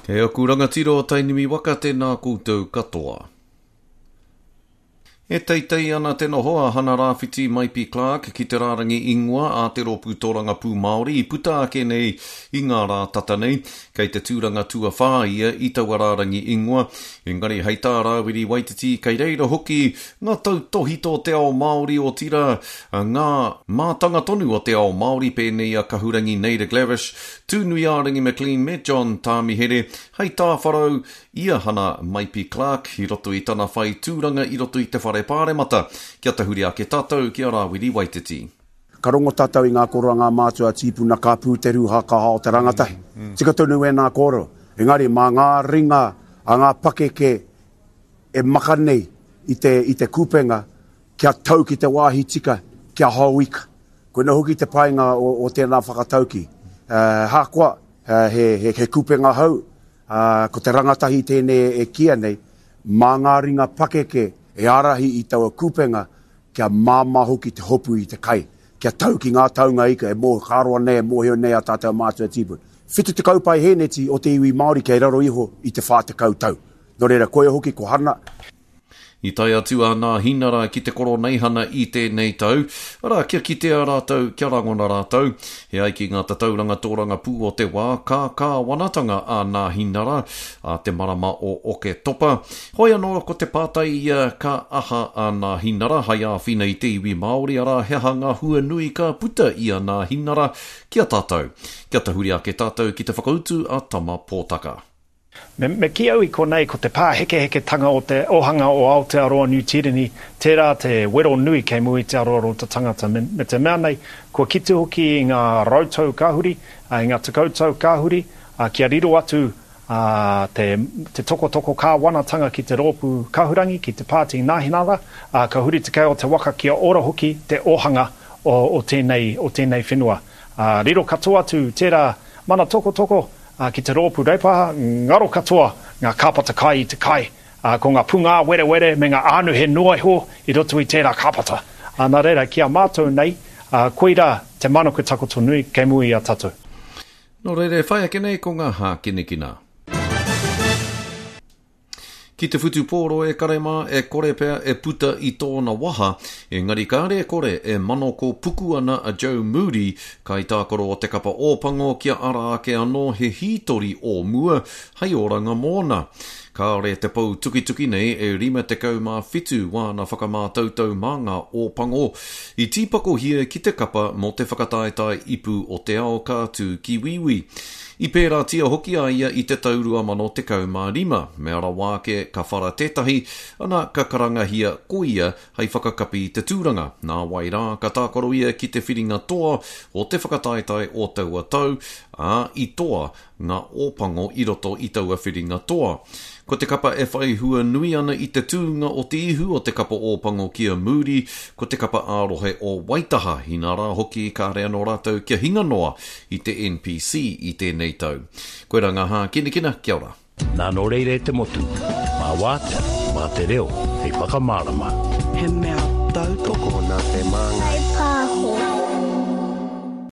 E aku rangatira o Tainui waka tēnā koutou katoa. E teitei ana te noho a Hana Rāwhiti Maipi Clarke ki te rārangi ingoa a te Rōpū Tōrangapū Māori i puta ake nei i ngā rā tata nei. Kei te tūranga tuawhā ia i taua rārangi ingoa, engari hei tā Rāwiri Waititi kei reira hoki ngā tautōhito o te ao Māori otirā ngā mātanga tonu o te ao Māori pēnei i a Kahurangi Naida Glavish, Tūnuiārangi McLean me John Tāmihere hei tāwharau i a Hana Maipi Clarke i roto i tana whai tūranga i roto i te Whare Pāremata. Kia tahuri ake tātou ki a Rāwiri Waititi. Ka rongo tātou i ngā kōrero a ngā mātua tīpuna ka pū te rūhā ka hao te rangatahi. Tika tonu ēnā kōrero. Engari mā ngā ringa a ngā pakeke e maka nei i te, i te kupenga kia tau ki te wāhi tika, kia hao ika. Koina hoki te painga o, o tēnā whakatauki. Uh, hākoa, uh, he, he, he kupenga hou, Ā, ko te rangatahi tēnei e kīia nei, mā ngā ringa pakeke e ārahi i taua kupenga kia māmā hoki te hopu i te kai, kia tau ki ngā taunga ika e mō, ka roa nei e mōhio nei a tātou mātua tīpuna. 70 paihēneti o te iwi Māori kei raro iho i te 40 tau. Nō reira, koia hoki ko Hana. I tae atu a Nāhinara ki te Koroneihana i tēnei tau, arā, kia kitea rātou, kia rangona rātou. E ai ki ngā tatauranga tōrangapū o te wā, ka kāwanatanga a Nāhinara ā te marama o Oketopa. Hoi anō, ko te pātai ia, ka aha a Nāhinara hai āwhina i te iwi Māori, arā, he aha ngā hua nui ka puta i a Nāhinara ki a tātou? Kia tahuri ake tātou ki te whakautu a Tama Pōtaka. Me, me kī au i konei ko te pāhekeheketanga o te ohanga o Aotearoa Niu Tīreni, tērā te wero nui kei mua i te aroaro o te tangata. Me, me te mea nei, kua kite hoki i ngā rautau ka huri, i ngā tekautau ka huri, kia riro atu te, te tokotoko kāwanatanga ki te rōpū kahurangi, ki te Pāti Nāhinara, ka huri te kei o te waka kia ora hoki te ohanga o, o tēnei, o tēnei whenua. Riro katoa atu tērā mana tokotoko, Ā, ki te rōpū Reipa, ngaro katoa ngā kāpata kai i te kai, ā, ko ngā pūngāwerewere me ngā ānuhe noa iho i roto i tērā kāpata. Ā, nā reira, ki a mātou nei, ā, koirā te manaku takoto nui kei mua i a tātou. Nō reira, e whai ake nei ko ngā hākinakina. Ki te whutupōro e kare mā, e kore pea e puta i tōna waha, engari kāre e kore e manoko puku ana a Joe Moody, kaitākaro o te kapa Ōpango kia ara ake anō he hītori o mua hei oranga mōna. Kāore te pou tukituki nei e 57 wāna whakamātautau mā ngā Ōpango i tīpakohia ki te kapa mō te whakataetae ipu o te ao ka tū ki Wīwī. I pērātia hoki a ia i te tau 2015, mea rawa ake ka whara tētahi, ana ka karangahia ko ia hei whakakapi i te tūranga. Nāwai rā ka tākaro ia ki te whiringa toa o te whakataetae o taua tau, ā, i toa ngā Ōpango i roto i taua whiringa toa. Ko te kapa e whai hua nui ana i te tūnga o te ihu o te kapa Ōpango ki a Moody, ko te kapa ā-rohe o Waitaha, inā rā hoki kāre anō rātou kia hinga noa i te NPC i tēnei tau. Koirā ngā hākinakina, kia ora. Nā nō reira e te motu, mā wātea, mā te reo hei whakamārama. He mea tautoko. Nā te Māngai.